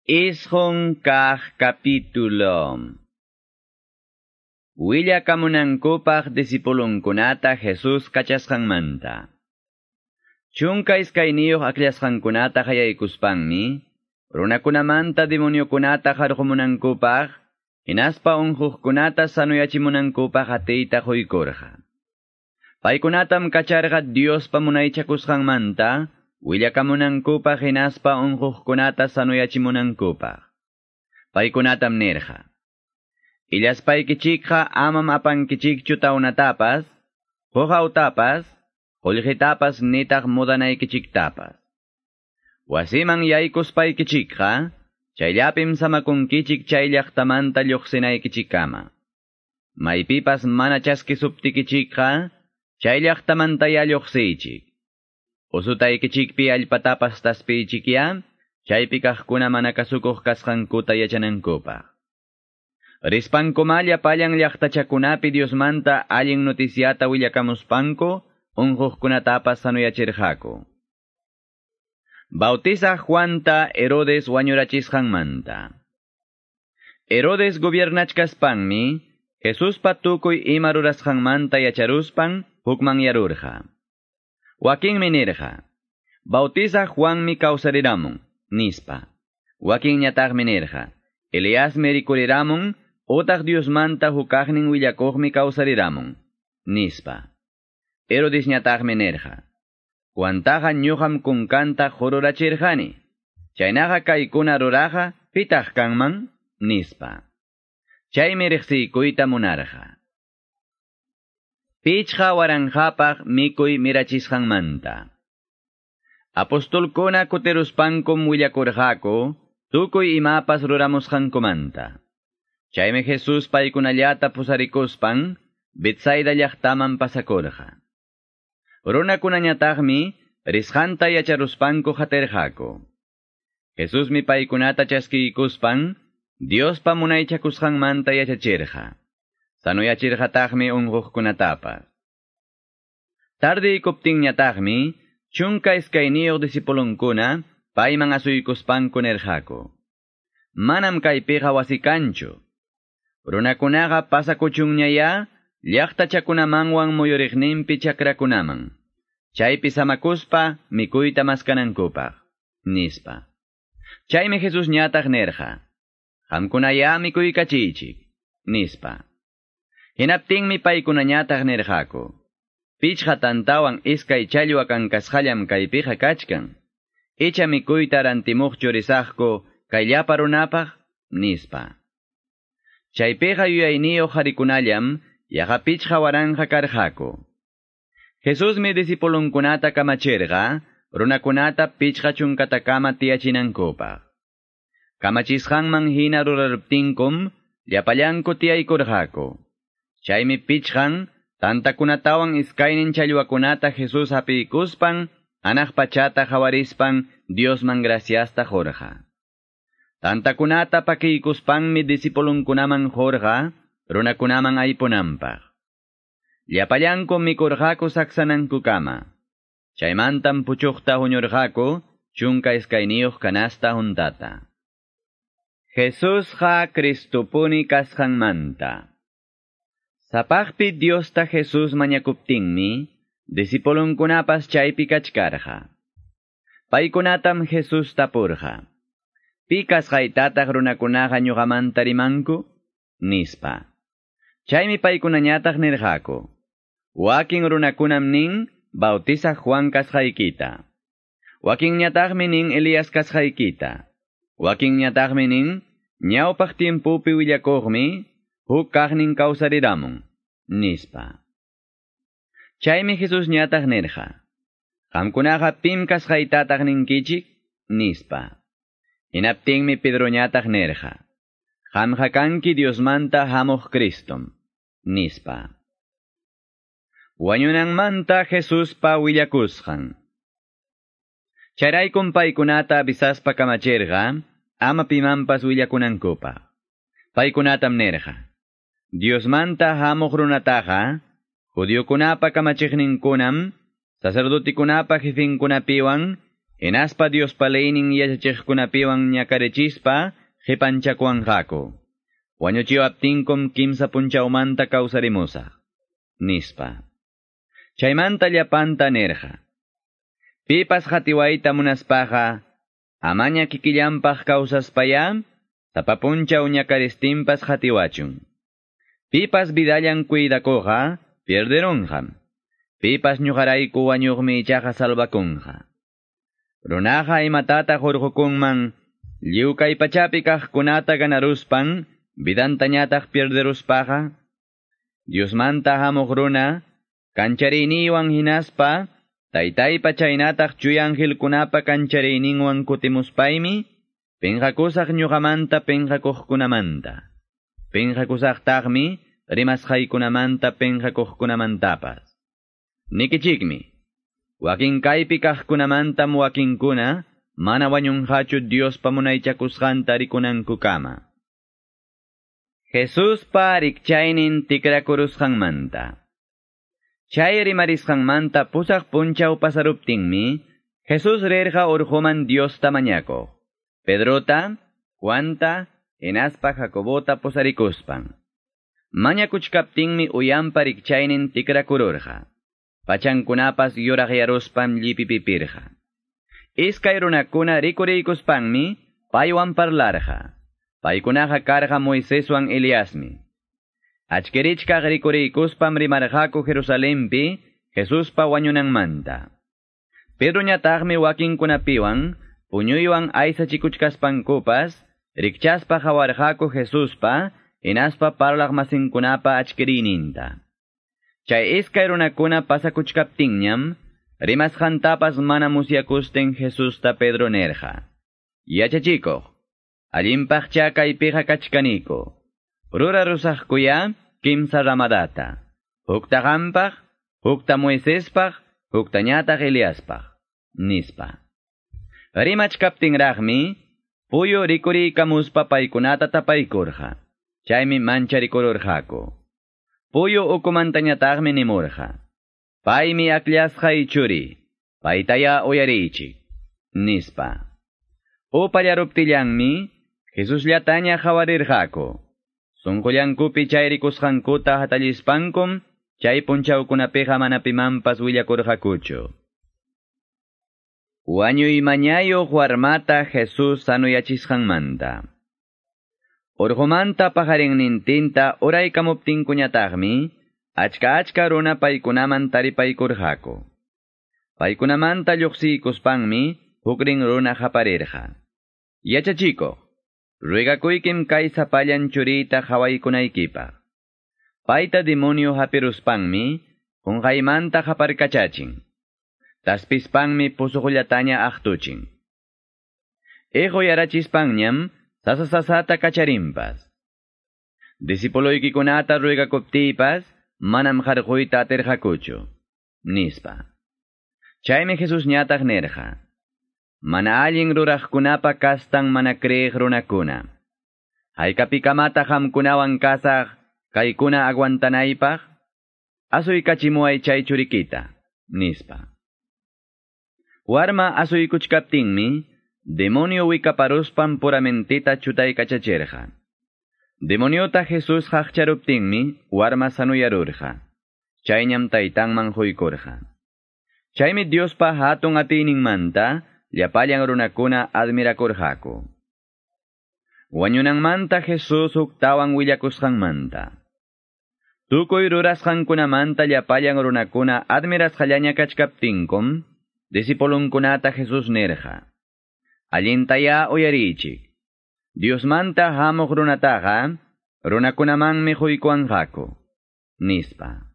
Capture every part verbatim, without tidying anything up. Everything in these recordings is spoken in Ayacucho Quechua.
Isqun kaq capítulo. Willakamunankupaq disipulunkunata Jesus kachasqanmanta. Chunka iskayniyuq akllashqankunata qayaykuspanmi, runakunamanta demoniokunata qarqumunankupaq, hinaspa unquqkunata sanuyachimunankupaq atiyta quykurqa. Paykunatam kacharqa Diospa munaychakusqanmanta, willakamunankupaq hinaspa unquqkunata sanuyachimunankupaq. Paykunatam nirqa: Illaspaykichikqa amam apankichikchu tawnatapas, quqawtapas, qullqitapas nitaq mudanaykichiktapas. Wasiman yaykuspaykichikqa, chayllapim samakunkichik chay llaqtamanta lluqsinaykichikkama. Maypipas mana chaskisuptikichikqa, chay llaqtamantaya lluqsiychik. Usutaykichikpi allpatapas taspiychikya, chaypi kaqkuna mana kasukuq kasqankuta yachanankupaq. Rispankumá llapallan llaqtachakunapi Diosmanta allin noticiata willakamuspanku, unquqkunatapas sanuyachirqaku. Bautizaq Juanta Herodes wañurachisqanmanta. Herodes gobiernachkaspanmi, Jesuspa tukuy ima rurasqanmanta yacharuspan hukmanyarurqa. Wakinmi nirqa: Bautizaq Juanmi kawsariramun, nispa. Wakinñataqmi nirqa: Eliasmi rikuriramun, utaq Diosmanta hukaqnin willakuqmi kawsariramun, nispa. Herodesñataqmi nirqa: Juantaqa ñuqam kunkanta qururachirqani. Chaynaqa kaykuna ruraqa pitaq kanman, nispa. Chaymi riqsiykuyta munarqa. Pichqa waranqapaq mikuy mirachisqanmanta. Apostolkuna kutiruspankum willakurqaku tukuy imapas ruramusqankumanta. Chaymi Jesus paykunallata pusarikuspan Betsaida llaqtaman pasakurqa. Runakunañataqmi risqanta yacharuspanku qatirqaku. Jesusmi paykunata chaskiykuspan Diospa munaychakusqanmanta yachachirqa. Sanuyachirqataqmi unquqkunatapas. Tardiykuptinñataqmi chunka iskayniyuq disipulunkuna payman asuykuspanku nirqaku: Manam kaypiqa wasi kanchu. Runakunaqa pasakuchunñaya llaqtachakunamanwan muyuriqninpi chakrakunaman, chaypi samakuspa mikuyta maskanankupaq, nispa. Chaymi Jesusñataq nirqa: Qamkunaya mikuykachiychik, nispa. Hinaptinmi paykunañataq nirqaku: Pichqa tantawan iskay challwa kankasqallam kaypiqa kachkan. Icha mikuyta rantimuqchu risaqku kay llapa runapaq, nispa. Chaypiqa yuyayniyuq qharikunallam yaqa pichqa waranqa karqaku. Jesusmi disipulunkunata kamachirqa runakunata pichqa chunkatakama tiyachinankupaq. Kamachisqanman hina ruraruptinkum llapallanku tiyaykurqaku. Chaymi pichqan tantakunatawan iskaynin challwakunata Jesus hapiykuspan anaq pachata qawarispan Diosman graciasta qurqa. Tantakunata pakiykuspanmi disipulunkunaman qurqa runakunaman aypunanpaq. Llapallanku mikurqaku saksanankukama. Chaymantam puchuqta huñurqaku chunka iskayniyuq canasta huntata. Jesusqa Cristopuni kasqanmanta. Sapaqpi Diosta Jesus mañakuptinmi, disipulunkunapas chaypi kachkarqa. Paykunatam Jesus tapurqa: Pi kasqaytataq runakunaqa ñuqamanta rimanku, nispa. Chaymi paykunañataq nirqaku: Wakin runakunam nin Bautizaq Juan kasqaykita. Wakinñataqmi nin Elías kasqaykita. Wakinñataqmi nin ñawpaq tiempopi willakuqmi huk kaqnin kawsariramun, nispa. Chaymi Jesusñataq nirqa: Qamkunaqa pim kasqaytataq ninkichik, nispa. Hinaptinmi Pedroñataq nirqa: Qamqa kanki Diosmanta hamuq Cristom, nispa. Wañunanmanta Jesuspa willakusqan. Chayraykum paykunata avisaspa kamachirqa ama pimanpas willakunankupaq. Paykunatam nirqa: Diosmanta hamuq runataqa judiokunapa kamachiqninkunam, sacerdotikunapa jefinkunapiwan, Hinaspa Diospa leynin yachachiqkunapiwan ñakarichispa qipanchakuwanqaku. Wañuchiwaptinkum kimsa punchawmanta kawsarimusaq, nispa. Chaymanta llapanta nirqa. Pipas qatiwayta munaspaqa, amaña kikillanpaq kawsaspaya, sapa punchaw ñakaristinpas qatiwachun. Pipas vidallan cuidakuqa, pierderunqam. Pipas ñuqarayku wañuqmi ichaqa salvakunqa. Runaqa imatataq hurqukunman, lliw kay pachapi kaqkunata ganaruspan, vidantañataq pierderuspaqa. Diosmanta hamuq runa, kanchariyniwan hinaspa, taytaypa chaynataq chuya angelkunapa kanchariyninwan kutimuspaymi, pinqakusaq ñuqamanta pinqakuqkunamanta. Pinqakusaqtaqmi rimasqaykunamanta pinqakuqkunamantapas. Nikichikmi, wakin kaypi kaqkunamantam wakinkuna, mana wañunqachu Diospa munaychakusqanta rikunankukama. Jesuspa rikchaynin tikrakurusqanmanta. Chay rimarisqanmanta pusaq punchaw pasaruptinmi, Jesús rirqa urquman Diosta mañakuq. Pedrota, Juanta, hinaspa Jacobota pusarikuspan. Mañakuchkaptinmi uyanpa rikchaynin tikrakururqa. Pachankunapas yuraqyaruspan llipipipirqa. Iskay runakuna rikuriykuspanmi paywan parlarqa. Paykunaqa karqa Moiseswan Eliasmi. Achkirichkaq rikuriykuspam rimarqaku Jerusalempi Jesuspa wañunanmanta. Pedroñataqmi wakinkunapiwan puñuywan aysachikuchkaspankupas rikchaspa qawarqaku Jesuspa hinaspa parlaq masinkunapa achkiriyninta. Chay iskay runakuna pasakuchkaptinñam rimasqantapas mana musyakustin Jesusta Pedro nirqa. Yachachikuq, allinpaqcha kaypiqa kachkaniku. Rurarusaqkuya kimsa ramadata. Hukta qampaq, hukta Moisespaq, huktañataq Eliaspaq, nispa. Rimachkaptinraqmi, puyu rikuriykamuspa paykunata tapaykurqa. Chaymi mancharikururqaku. Puyu ukumantañataqmi nimurqa. Paymi akllasqay churi, paytaya uyariychik, nispa. Upallaruptillanmi, Jesusllataña qawarirqaku. Sunqullankupi chay rikusqankuta hatallispankum, chay punchawkunapiqa mana pimanpas willakurqakuchu. Wañuy mañayuq warmata Jesús sanuyachisqanmanta. Urqumanta paqarinnintinta uraykamuptinkuñataqmi, achka achka runa paykunaman taripaykurqaku. Paykunamanta lluqsiykuspanmi, hukrin runa qaparirqa. Yachachikuq, ruegakuykim kay sapallan churiyta qawaykunaykipaq. Payta demonio hapiruspanmi, qunqaymanta qaparkachachin. Taspispanmi pusuqullataña aqtuchin. Iquyarachispanñam, sasa sasata kacharimpas. Discipuluykicunata ruegakuptiypas, manam qarquyta atirqakuchu, nispa. Chaymi Jesús ñataq nirqa. Mana allin ruraqkunapa kastan mana creeq runakuna. Haykapikamataq qamkunawan kasaq, kaykuna aguantanaypaq, asuykachimuway chay churikita, nispa. Warma asuykuchkaptinmi, demonio wikaparuspan puramentita chutaykachachirqa. Demoniota Jesús qaqcharuptinmi, warma sanuyarurqa. Chayñam taytanman huykurqa. Chaymi Diospa hatun atiyninmanta, llapallan runakuna admirakurqaku. Wañunanmanta Jesús huktawan willakusqanmanta. Tukuy rurasqankunamanta llapallan runakuna admirasqallaña kachkaptinkum, discipulunkunata Jesús nirqa. Allintaya uyariychik. Diosmanta hamuq runataqa, runakunamanmi huykuwanqaku, nispa.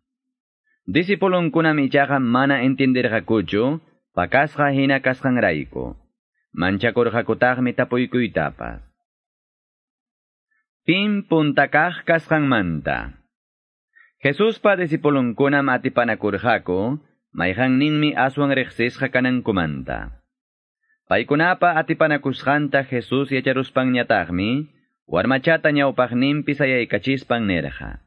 Discipulunkunam ichaqa mana entendirqakuchu, pakasqa hina kasqanrayku. Manchakurqakutaqmi tapuykuytapas. Pim puntakaq kasqanmanta. Jesuspa discipulunkunam atipanakurqaku, mayqanninmi aswan riqsisqa kanankumanta. Paykunapa atipanakusqanta Jesús yacharuspanñataqmi, warmachata ñawpaqninpi sayaykachispan nirqa.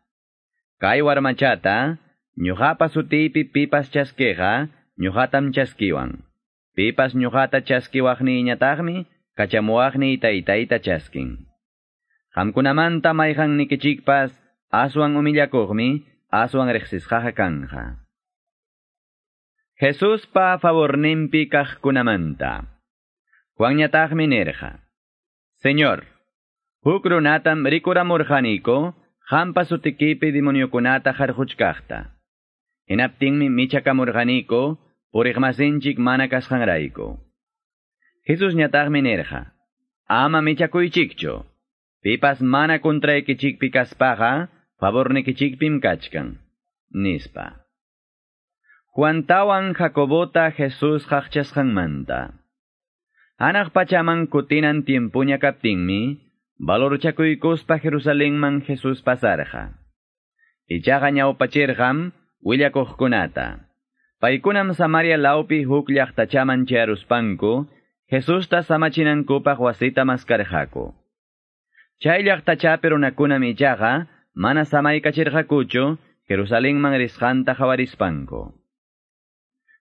Kay warmachata, ñuqapa sutiypi pipas chaskiqa, ñuqatam chaskiwan. Pipas ñuqata chaskiwaqniyñataqmi kachamuwaqniy taytayta chaskin. Qamkunamanta mayqannikichikpas aswan humillakuqmi aswan riqsisqaqa kanja. Jesuspa favorninpi kaqkunamanta. Juanñataqmi nirqa: Señor, huk runatam rikuramurqaniku qampa sutikipi demoniokunata qarquchkaqta. Hinaptinmi michakamurqaniku puriqmasinchik mana kasqanrayku. Jesusñataqmi nirqa: Ama michakuychikchu. Pipas mana contraykichikpi kaspaqa favornikichikpim kachkan, nispa. Juantawan Jacobota Jesús qaqchasqanmanta. Hanaq pachaman kutinan tiempuña kaptinmi, valorchakuykuspa Jerusalenman Jesús pasarqa. Ichaqa ñawpachirqam willakuqkunata. Paykunam Samaria lawpi huk llaqtachaman chayaruspanku, Jesusta samachinankupaq wasita maskarqaku. Chay llaqtachapi runakunam ichaqa mana samaykachirqakuchu Jerusalenman risqanta qawarispanku.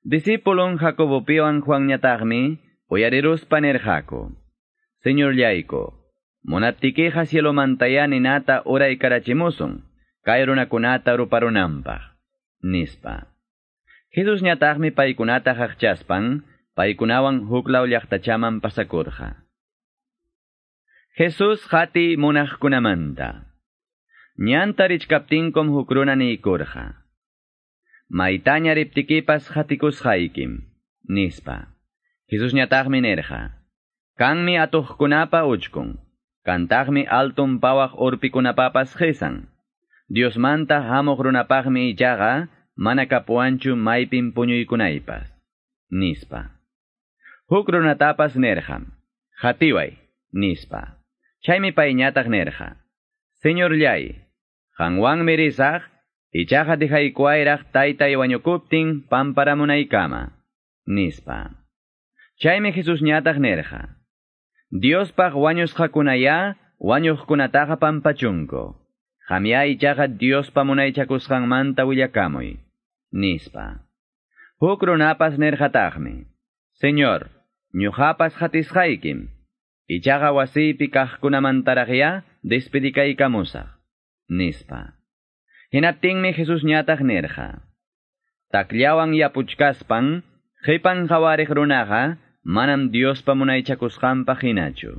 Discipulon Jacobopiwan Juanñataqmi uyariruspa nirqaku: Señorllayku, munaptikiqa cielomantayá ninata uraykarachimusun, kay runakunata ruparunanpaq, nispa. Jesusñataqmi paykunata qaqchaspan, paykunawan huklaw llaqtachaman pasakurqa. Jesús qati munaqkunamanta. Ñanta richkaptinkum huk runa niykurqa: Maytaña riptikipas qatikusqaykim, nispa. Jesusñataqmi nirqa: Kanmi atuqkunapa uchkun, kantaqmi altun pawaq urpikunapapas qisan. Diosmanta hamuq runapaqmi ichaqa mana kapuwanchu maypim puñuykunaypas, nispa. Huk runatapas nirqam: Qatiway, nispa. Chaymi payñataq nirqa: Señorllay, qanwanmi risaq, ichaqa dejaykuwayraq taytay wañukuptin pamparamunaykama, nispa. Chaymi Jesusñataq nirqa: Diospaq wañusqakunayá wañuqkunataqa pampachunku. Qamyá ichaqa Diospa munaychakusqanmanta willakamuy, nispa. Huk runapas nirqataqmi: Señor, ñuqapas qatisqaykim, ichaqa wasiypi kaqkunamantaraqyá despedikaykamusaq, nispa. Hinaptinmi Jesusñataq nirqa: Takllawan yapuchkaspan, qipan qawariq runaqa manam Diospa munaychakusqanpaq hinachu.